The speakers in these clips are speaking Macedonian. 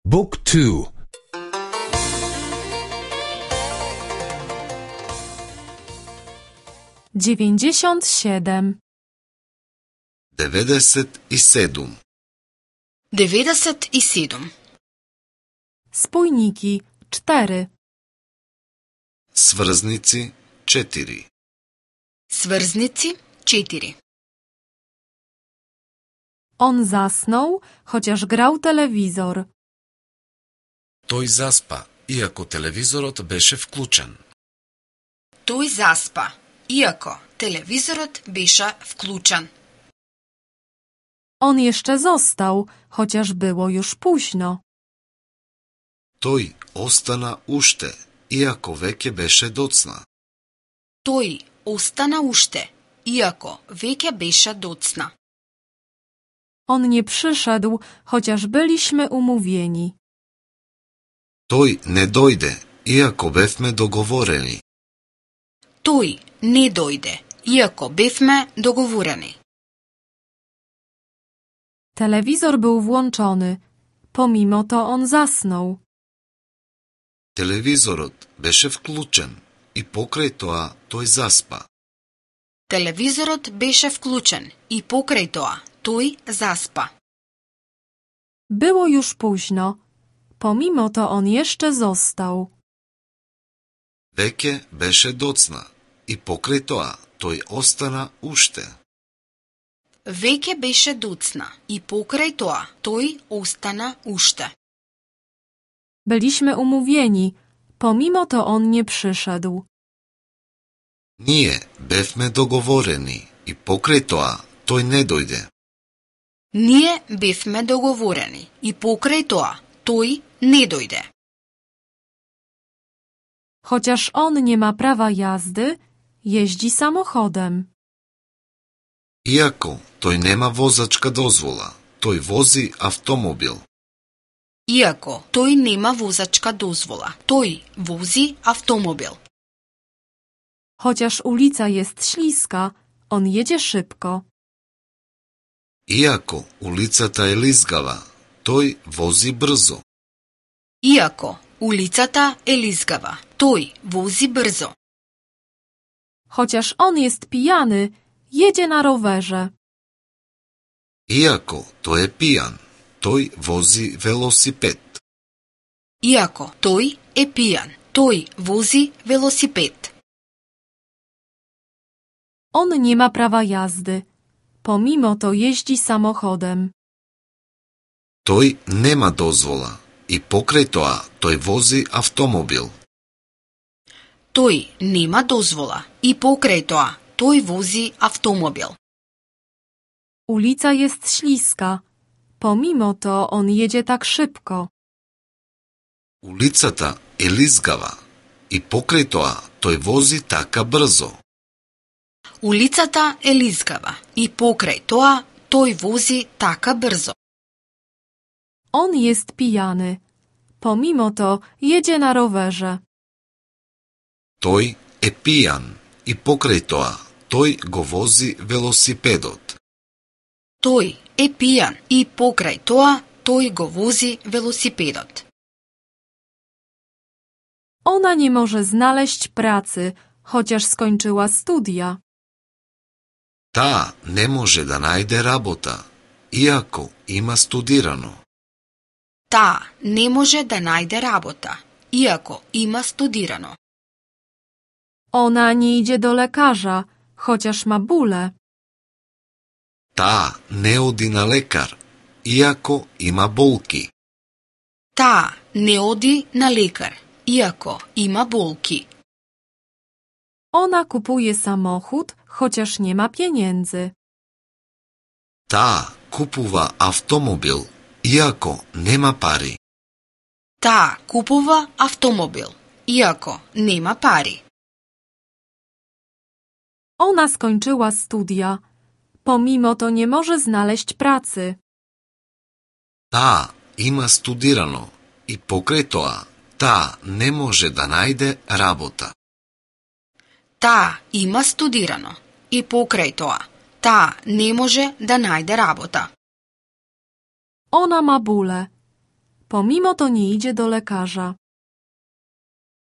Book 2. 97. 97. 97. Spójniki 4. Сврзници 4. Сврзници 4. On zasnął, chociaż grał telewizor. Тој заспа, иако телевизорот беше вклучен. Тој заспа, иако телевизорот беше вклучен. On jeszcze został, chociaż było już późno. Тој остана уште, иако веќе беше доцна. Тој остана уште, иако веќе беше доцна. On nie przyszedł, chociaż byliśmy umówieni. Тој не дојде, иако бевме договорени. Тој не дојде, иако бевме договорени. Telewizor był włączony. Pomimo to on zasnął. Телевизорот беше вклучен и покрај тоа тој заспа. Телевизорот беше вклучен и покрај тоа тој заспа. Było już późno. Pomimo to on jeszcze został. Веќе беше доцна и покрај тоа тој остана уште. Веќе беше доцна и покрај тоа тој остана уште. Byliśmy umówieni. Pomimo to on nie przyszedł. Ние бевме договорени и покрај тоа тој не дојде. Ние бевме договорени и покрај тоа тој не дојде. Chociaż on nie ma prawa jazdy, jeździ samochodem. Иако тој нема возачка дозвола, тој вози автомобил. Иако тој нема возачка дозвола, тој вози автомобил. Chociaż ulica jest śliska, on jedzie szybko. Иако улицата е лизгава, тој вози брзо. Иако улицата е лизгава, тој вози брзо. Chociaż on jest pijany, jedzie na rowerze. Иако тој е пијан, тој вози велосипед. Иако тој е пијан, тој вози велосипед. On nie ma prawa jazdy. Pomimo to jeździ samochodem. Тој нема дозвола и покрај тоа тој вози автомобил. Тој нема дозвола и покрај тоа тој вози автомобил. Ulica jest śliska. Pomimo to on jedzie tak szybko. Улицата е лизгава и покрај тоа тој вози така брзо. Улицата е лизгава и покрај тоа тој вози така брзо. On jest pijany. Pomimo to jedzie na rowerze. Тој е пијан и покрај тоа тој го вози велосипедот. Тој е пијан и покрај тоа тој го вози велосипедот. Ona nie może znaleźć pracy, chociaż skończyła studia. Таа не може да најде работа, иако има студирано. Таа не може да најде работа, иако има студирано. Ona nie idzie do lekarza, chociaż ma bóle. Таа не оди на лекар, иако има болки. Таа не оди на лекар, иако има болки. Ona kupuje samochód, chociaż nie ma pieniędzy. Таа купува автомобил, иако нема пари. Таа купува автомобил, иако нема пари. Ona skończyła studia. Pomimo to nie może znaleźć pracy. Таа има студирано и покрај тоа таа не може да најде работа. Таа има студирано и покрај тоа таа не може да најде работа. Ona ma bóle. pomimo to nie idzie do lekarza.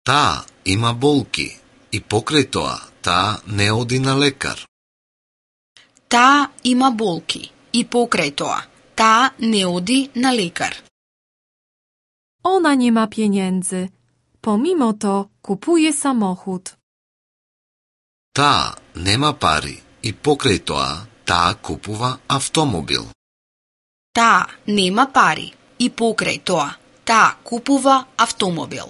Таа има болки и покрај тоа таа не оди на лекар. Таа има болки и покрај тоа таа не оди на лекар. Ona nie ma pieniędzy. Pomimo to kupuje samochód. Таа нема пари и покрај тоа таа купува автомобил. Таа нема пари и покрај тоа таа купува автомобил.